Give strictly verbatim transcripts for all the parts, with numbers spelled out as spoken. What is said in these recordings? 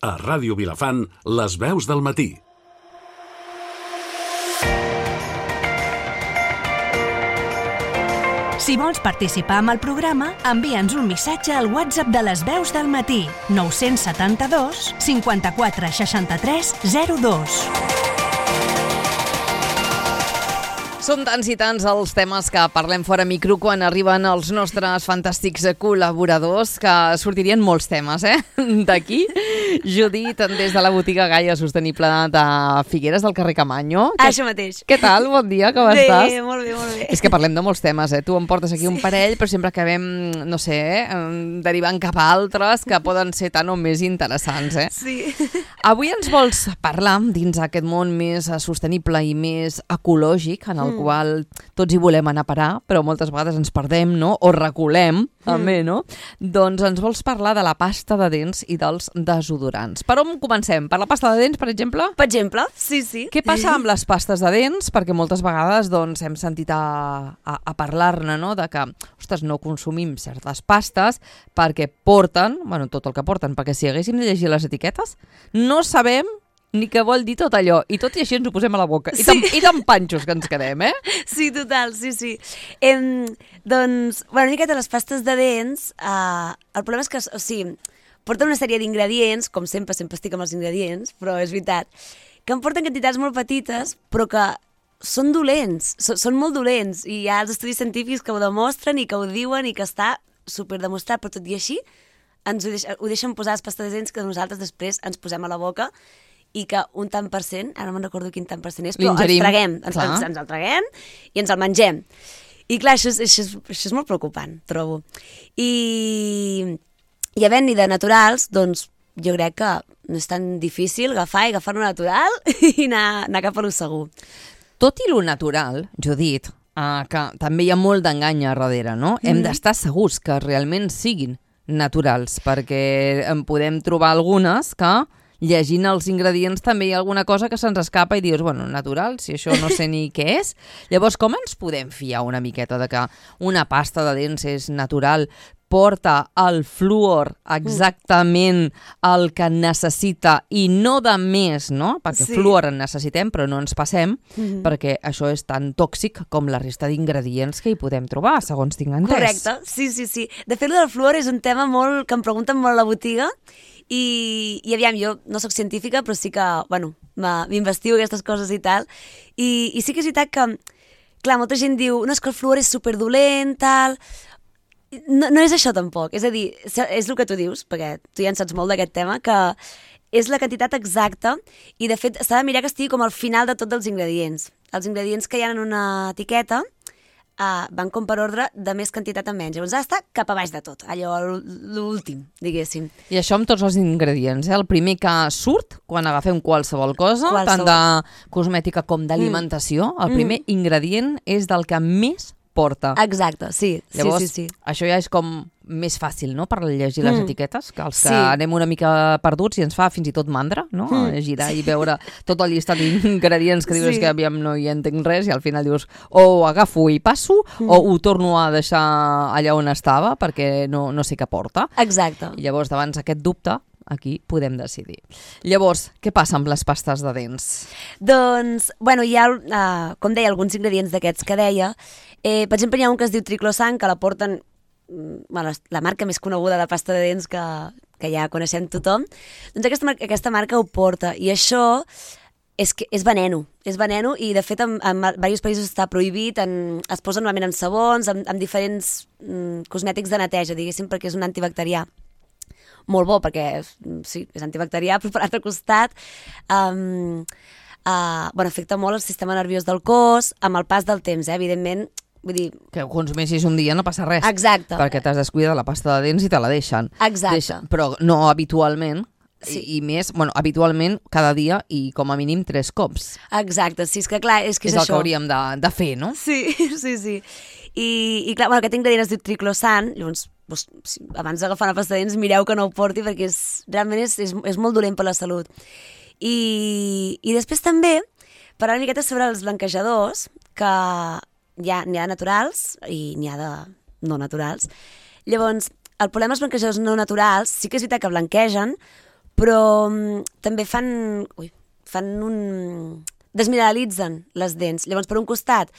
A Ràdio Vilafant, les veus del matí. Si vols participar amb el programa, envia'ns un missatge al WhatsApp de les veus del matí, nou set dos, cinquanta-quatre, seixanta-tres, zero dos. Són tants i tants els temes que parlem fora micro quan arriben els nostres fantàstics col·laboradors, que sortirien molts temes, eh? D'aquí, Judit, des de la botiga Gaia Sostenible de Figueres del carrer Camanyo. Que... Això mateix. Què tal? Bon dia, com bé, estàs? Bé, molt bé, molt bé. És que parlem de molts temes, eh? Tu em portes aquí sí. un parell, però sempre acabem, no sé, eh? derivant cap a altres que poden ser tan o més interessants, eh? Sí. Avui ens vols parlar dins aquest món més sostenible i més ecològic, en el mm. qual tots hi volem anar a parar, però moltes vegades ens perdem, no? O reculem, mm. també, no? Doncs ens vols parlar de la pasta de dents i dels desodorants. Per on comencem? Per la pasta de dents, per exemple? Per exemple, sí, sí. Què passa amb les pastes de dents? Perquè moltes vegades doncs, hem sentit a, a, a parlar-ne, no? De que, ostres, no consumim certes pastes perquè porten, bueno, tot el que porten, perquè si haguéssim de llegir les etiquetes, no sabem ni què vol dir tot allò. I tot i així ens ho posem a la boca. I, sí. tan, i tan panxos que ens quedem, eh? Sí, total, sí, sí. Em, doncs, bueno, una miqueta les pastes de dents, eh, el problema és que, o sigui, porten una sèrie d'ingredients, com sempre, sempre estic amb els ingredients, però és veritat, que en porten quantitats molt petites, però que són dolents, so, són molt dolents, i hi ha els estudis científics que ho demostren i que ho diuen i que està superdemostrat, però tot i així ens ho, deix, ho deixen posar les pastes de dents que nosaltres després ens posem a la boca i que un tant per cent, ara no me'n recordo quin tant per cent és, però ens traguem, ens, ens, ens el traguem i ens el mengem. I clar, això és, això és, això és molt preocupant, trobo. I, i havent-hi de naturals, doncs jo crec que no és tan difícil agafar i agafar-ho natural i anar, anar cap a lo segur. Tot i lo natural, Judit, uh, que també hi ha molt d'engany a darrere, no? Mm. Hem d'estar segurs que realment siguin naturals, perquè en podem trobar algunes que llegint els ingredients també hi ha alguna cosa que se'ns escapa i dius, bueno, natural, si això no sé ni què és. Llavors, com ens podem fiar una miqueta de que una pasta de dents és natural, porta el fluor exactament el que necessita i no de més, no? Perquè sí. fluor en necessitem, però no ens passem, mm-hmm. perquè això és tan tòxic com la resta d'ingredients que hi podem trobar, segons tinc entès. Correcte, sí, sí, sí. De fet, el del fluor és un tema molt que em pregunten molt a la botiga. I, i aviam, jo no sóc científica, però sí que, bueno, m'investigo aquestes coses i tal, i, i sí que és veritat que, clar, molta gent diu, no, és que el fluor és superdolent, tal, no, no és això tampoc, és a dir, és el que tu dius, perquè tu ja en saps molt d'aquest tema, que és la quantitat exacta, i de fet s'ha de mirar que estigui com al final de tots els ingredients. Els ingredients que hi ha en una etiqueta, Uh, van com per ordre de més quantitat a menys. Llavors ha d'estar cap a baix de tot, allò l'últim, diguéssim. I això amb tots els ingredients, eh? El primer que surt quan agafem qualsevol cosa, qualsevol. tant de cosmètica com d'alimentació, mm. el primer mm. ingredient és del que més porta. Exacte, sí. Llavors, sí, sí, sí. això ja és com més fàcil, no?, per llegir les mm. etiquetes, que els que sí. anem una mica perduts i ens fa fins i tot mandra, no?, mm. girar i veure tot el llistat d'ingredients que dius sí. que aviam no hi entenc res i al final dius o ho agafo i passo mm. o ho torno a deixar allà on estava perquè no, no sé què porta. Exacte. I llavors, davant aquest dubte, aquí podem decidir. Llavors, què passa amb les pastes de dents? Doncs, bueno, hi ha, uh, com deia, alguns ingredients d'aquests que deia. Eh, per exemple, hi ha un que es diu Triclosan, que la porten, bueno, la marca més coneguda de pasta de dents que, que ja coneixem tothom. Doncs aquesta, aquesta marca ho porta, i això és, que, és veneno, és veneno, i de fet en, en diversos països està prohibit, en, es posa normalment en sabons, en, en diferents mm, cosmètics de neteja, diguéssim, perquè és un antibacterià. Molt bo, perquè sí, és antibacterià, però per l'altre costat um, uh, bueno, afecta molt el sistema nerviós del cos amb el pas del temps, eh? Evidentment, vull dir... Que ho consumeixis un dia no passa res. Exacte. Perquè t'has descuidat la pasta de dents i te la deixen. Exacte. Deixa, però no habitualment, sí. i, i més, bueno, habitualment cada dia i com a mínim tres cops. Exacte, sí, és que clar, és que és, és el això. que hauríem de, de fer, no? Sí, sí, sí. I, i clar, bueno, aquest ingredient es diu Triclosan, llavors doncs, abans d'agafar una pasta de dents mireu que no ho porti perquè és, realment és, és, és molt dolent per la salut. I, i després també parlar una miqueta sobre els blanquejadors, que n'hi ha, n'hi ha naturals i n'hi ha de no naturals. Llavors, el problema dels blanquejadors no naturals sí que és veritat que blanquegen, però um, també fan, ui, fan un... desmineralitzen les dents. Llavors, per un costat,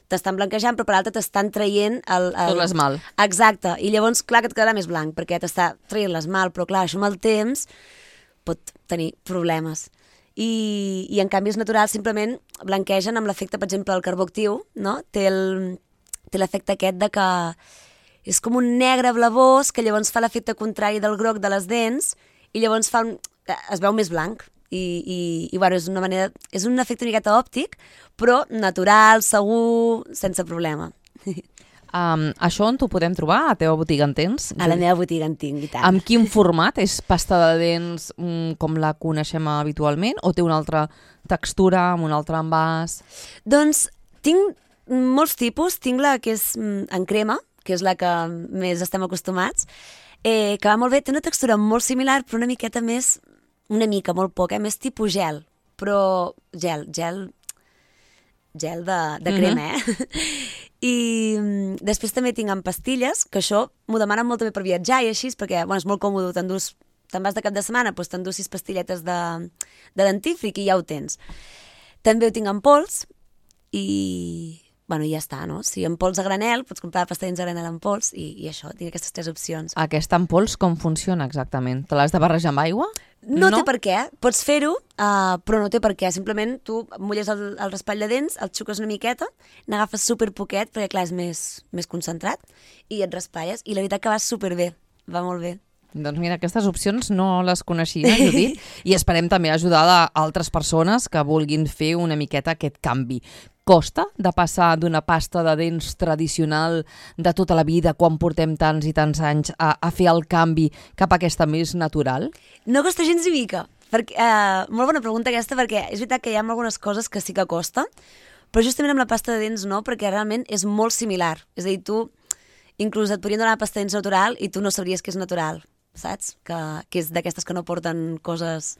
t'estan blanquejant, però per l'altre t'estan traient el, el... Tot l'esmalt. Exacte, i llavors, clar que et quedarà més blanc, perquè t'està traient l'esmalt, però clar, això amb el temps pot tenir problemes. I, i en canvi els naturals simplement blanquegen amb l'efecte, per exemple, el carbó actiu, no? Té el, té l'efecte aquest de que és com un negre blavós que llavors fa l'efecte contrari del groc de les dents i llavors fa un, es veu més blanc. I, i, i bueno, és una manera, és un efecte una miqueta òptic, però natural, segur, sense problema. Um, això on t'ho podem trobar? A la teva botiga en tens? A la meva botiga en tinc, i tant. Amb quin format? És pasta de dents mm, com la coneixem habitualment o té una altra textura, amb un altre envàs? Doncs tinc molts tipus. Tinc la que és mm, en crema, que és la que més estem acostumats, eh, que va molt bé, té una textura molt similar, però una miqueta més, una mica, molt poc, eh, més tipus gel, però gel, gel, gel de, de crema, mm-hmm. eh? I mm, després també tinc en pastilles, que això m'ho demanen molt també per viatjar i així, perquè bueno, és molt còmode, t'endús, te'n vas de cap de setmana, doncs t'endús sis pastilletes de, de dentífric i ja ho tens. També ho tinc en pols i... bueno, ja està, no? Si en pols a granel, pots comprar pasta de dents a granel en pols i, i això, tinc aquestes tres opcions. Aquesta en pols com funciona exactament? Te l'has de barrejar amb aigua? No, no té per què, pots fer-ho, uh, però no té per què. Simplement tu mulles el, el raspall de dents, el xuques una miqueta, n'agafes super poquet, perquè clar, és més, més concentrat, i et raspalles, i la veritat que va superbé, va molt bé. Doncs mira, aquestes opcions no les coneixia, Judit, i esperem també ajudar a altres persones que vulguin fer una miqueta aquest canvi. Costa de passar d'una pasta de dents tradicional de tota la vida, quan portem tants i tants anys, a, a fer el canvi cap a aquesta més natural? No costa gens ni mica. Perquè, uh, molt bona pregunta aquesta, perquè és veritat que hi ha algunes coses que sí que costa, però justament amb la pasta de dents no, perquè realment és molt similar. És a dir, tu inclús et podrien donar una pasta de dents natural i tu no sabries que és natural, saps? Que, que és d'aquestes que no porten coses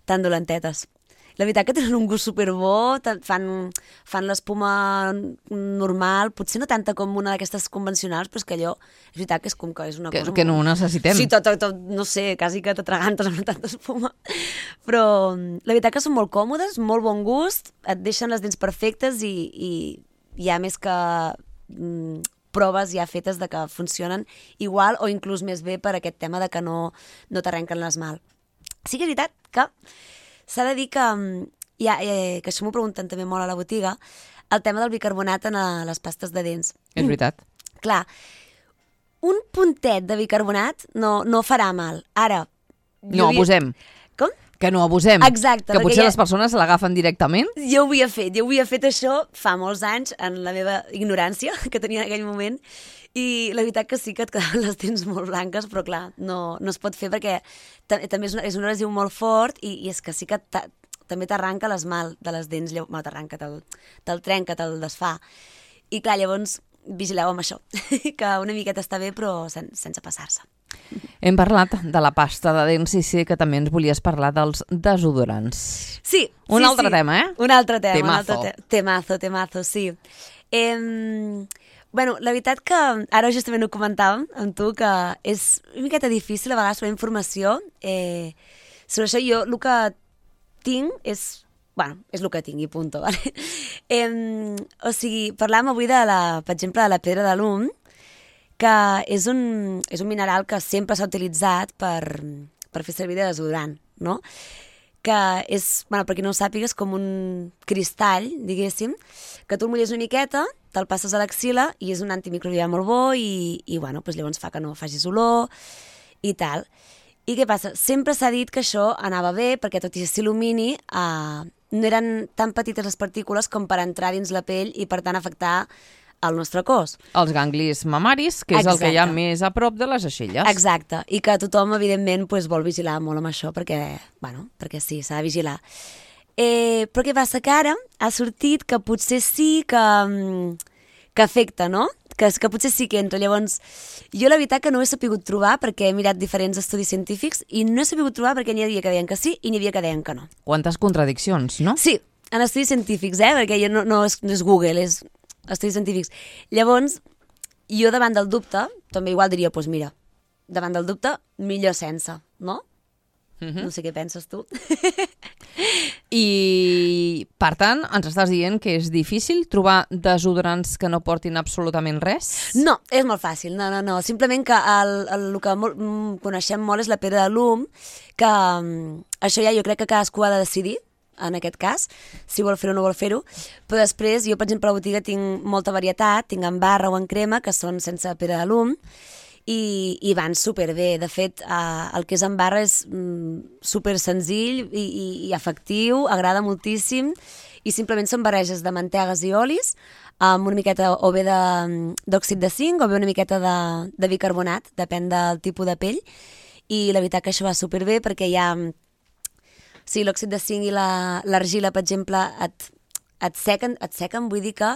tan dolentetes. La veritat que tenen un gust superbo, fan, fan l'espuma normal, potser no tanta com una d'aquestes convencionals, però és que allò, és veritat que és com que és una que, cosa... Que no ho necessitem. Sí, tot, tot, tot, no sé, quasi que t'atragantes amb tanta espuma. Però la veritat que són molt còmodes, molt bon gust, et deixen les dents perfectes i, i hi ha més que mm, proves ja fetes de que funcionen igual o inclús més bé per aquest tema de que no, no t'arrenquen l'esmalt. Sí que és veritat que s'ha de dir que, ja, eh, que això m'ho pregunten també molt a la botiga, el tema del bicarbonat en a les pastes de dents. És veritat. Mm. Clar, un puntet de bicarbonat no, no farà mal. Ara... No havia... abusem. Com? Que no abusem. Exacte. Que potser ja... les persones l'agafen directament. Jo ho havia fet, jo ho havia fet això fa molts anys, en la meva ignorància que tenia en aquell moment, i la veritat que sí que et quedaven les dents molt blanques, però clar, no, no es pot fer perquè també és, una, és un adhesiu molt fort i, i és que sí que també t'arranca l'esmalt de les dents, bueno, t'arranca, te'l te trenca, te'l desfà. I clar, llavors vigileu amb això, que una miqueta està bé però sen, sense passar-se. Hem parlat de la pasta de dents i sé que també ens volies parlar dels desodorants. Sí. Un sí, altre sí. tema, eh? Un altre tema. Temazo. Un altre te temazo, temazo, sí. Eh, bueno, la veritat que ara justament ho comentàvem amb tu, que és una miqueta difícil a vegades trobar informació. Eh, sobre això jo el que tinc és... Bueno, és el que tinc i punto, vale? Eh, o sigui, parlàvem avui, de la, per exemple, de la pedra de l'um, que és un, és un mineral que sempre s'ha utilitzat per, per fer servir de desodorant, no? Que és, bueno, per qui no ho sàpiga, és com un cristall, diguéssim, que tu el mulles una miqueta, te'l passes a l'axila i és un antimicrobià molt bo i, i bueno, doncs llavors fa que no facis olor i tal. I què passa? Sempre s'ha dit que això anava bé perquè tot i s'il·lumini eh, no eren tan petites les partícules com per entrar dins la pell i per tant afectar el nostre cos. Els ganglis mamaris, que és Exacte. El que hi ha més a prop de les aixelles. Exacte, i que tothom, evidentment, pues, vol vigilar molt amb això, perquè, bueno, perquè sí, s'ha de vigilar. Eh, però què passa? Que ara ha sortit que potser sí que, que afecta, no? Que, que potser sí que entra. Llavors, jo la veritat que no ho he sapigut trobar perquè he mirat diferents estudis científics i no he sapigut trobar perquè n'hi havia que deien que sí i n'hi havia que deien que no. Quantes contradiccions, no? Sí, en estudis científics, eh? Perquè jo no, no, és, no és Google, és estudis científics. Llavors, jo davant del dubte, també igual diria, doncs mira, davant del dubte, millor sense, no? Uh-huh. No sé què penses tu. I, per tant, ens estàs dient que és difícil trobar desodorants que no portin absolutament res? No, és molt fàcil, no, no, no. Simplement que el, el, el que molt, coneixem molt és la pedra de l'Um, que um, això ja jo crec que cadascú ha de decidir, en aquest cas, si vol fer-ho o no vol fer-ho, però després jo, per exemple, a la botiga tinc molta varietat, tinc en barra o en crema, que són sense pedra de l'Um, i, i van superbé. De fet, eh, el que és en barra és mm, super senzill i, i, i efectiu, agrada moltíssim, i simplement són barreges de mantegues i olis, amb una miqueta o bé d'òxid de, de zinc o bé una miqueta de, de bicarbonat, depèn del tipus de pell, i la veritat que això va superbé perquè hi ha... Sí, l'òxid de zinc i l'argila, per exemple, et, et, sequen, et sequen, vull dir que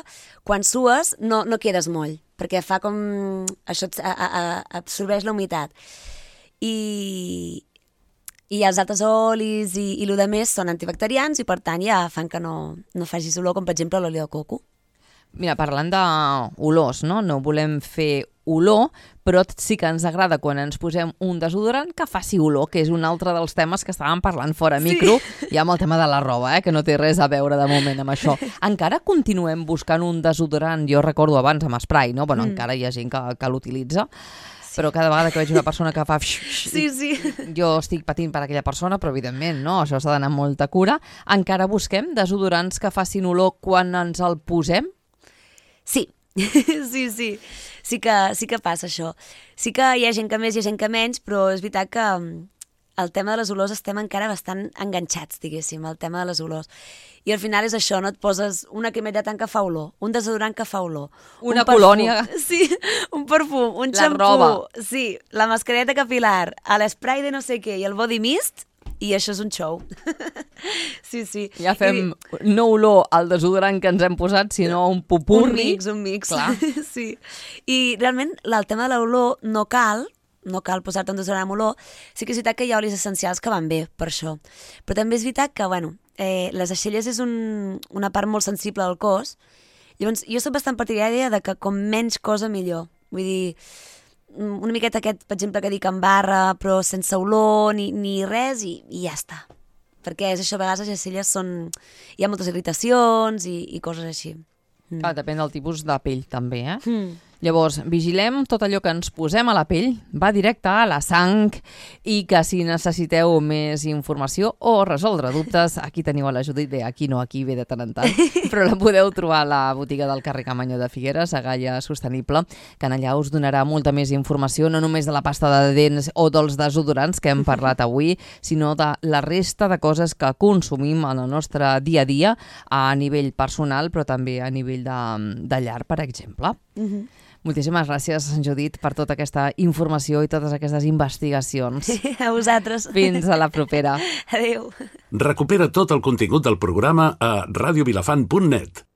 quan sues no, no quedes moll, perquè fa com... això et, a, a, absorbeix la humitat. I, i els altres olis i, i el que més són antibacterians i per tant ja fan que no, no facis olor, com per exemple l'oli de coco. Mira, parlant d'olors, no? No volem fer olor, però sí que ens agrada quan ens posem un desodorant que faci olor, que és un altre dels temes que estàvem parlant fora micro, sí. Ja amb el tema de la roba, eh? Que no té res a veure de moment amb això. Encara continuem buscant un desodorant, jo recordo abans amb spray, no? Bueno, mm. encara hi ha gent que, que l'utilitza, sí. Però cada vegada que veig una persona que fa... Sí, sí. Jo estic patint per aquella persona, però evidentment, no? Això s'ha d'anar amb molta cura. Encara busquem desodorants que facin olor quan ens el posem? Sí, sí, sí, sí que, sí que passa això. Sí que hi ha gent que més, hi ha gent que menys, però és veritat que el tema de les olors estem encara bastant enganxats, diguéssim, el tema de les olors. I al final és això, no? Et poses una cremeta tant que fa olor, un desodorant que fa olor, una un perfum, colònia. Sí, un perfum, un la xampú, roba. Sí, la mascareta capilar, l'esprai de no sé què i el body mist, i això és un show. Sí, sí. Ja fem I... no olor al desodorant que ens hem posat, sinó un pupurri. Un mix, un mix. Clar. Sí. I realment el tema de l'olor no cal, no cal posar-te un desodorant amb olor. Sí que és veritat que hi ha olis essencials que van bé per això. Però també és veritat que, bueno, eh, les aixelles és un, una part molt sensible del cos. Llavors, jo soc bastant partidària de que com menys cosa millor. Vull dir, una miqueta aquest, per exemple, que dic en barra, però sense olor ni, ni res, i, i ja està. Perquè és això, a vegades les aixelles són... hi ha moltes irritacions i, i coses així. Mm. Ah, depèn del tipus de pell, també, eh? Mm. Llavors, vigilem tot allò que ens posem a la pell, va directe a la sang, i que si necessiteu més informació o resoldre dubtes, aquí teniu a la Judit, bé, aquí no, aquí ve de tant en tant, però la podeu trobar a la botiga del carrer Camanyó de Figueres, a Gaia Sostenible, que en allà us donarà molta més informació, no només de la pasta de dents o dels desodorants que hem parlat avui, sinó de la resta de coses que consumim en el nostre dia a dia, a nivell personal, però també a nivell de, de llar, per exemple. Mhm. Moltíssimes gràcies, Judit, per tota aquesta informació i totes aquestes investigacions. A vosaltres. Fins a la propera. Adéu. Recupera tot el contingut del programa a radio vilafant punt net.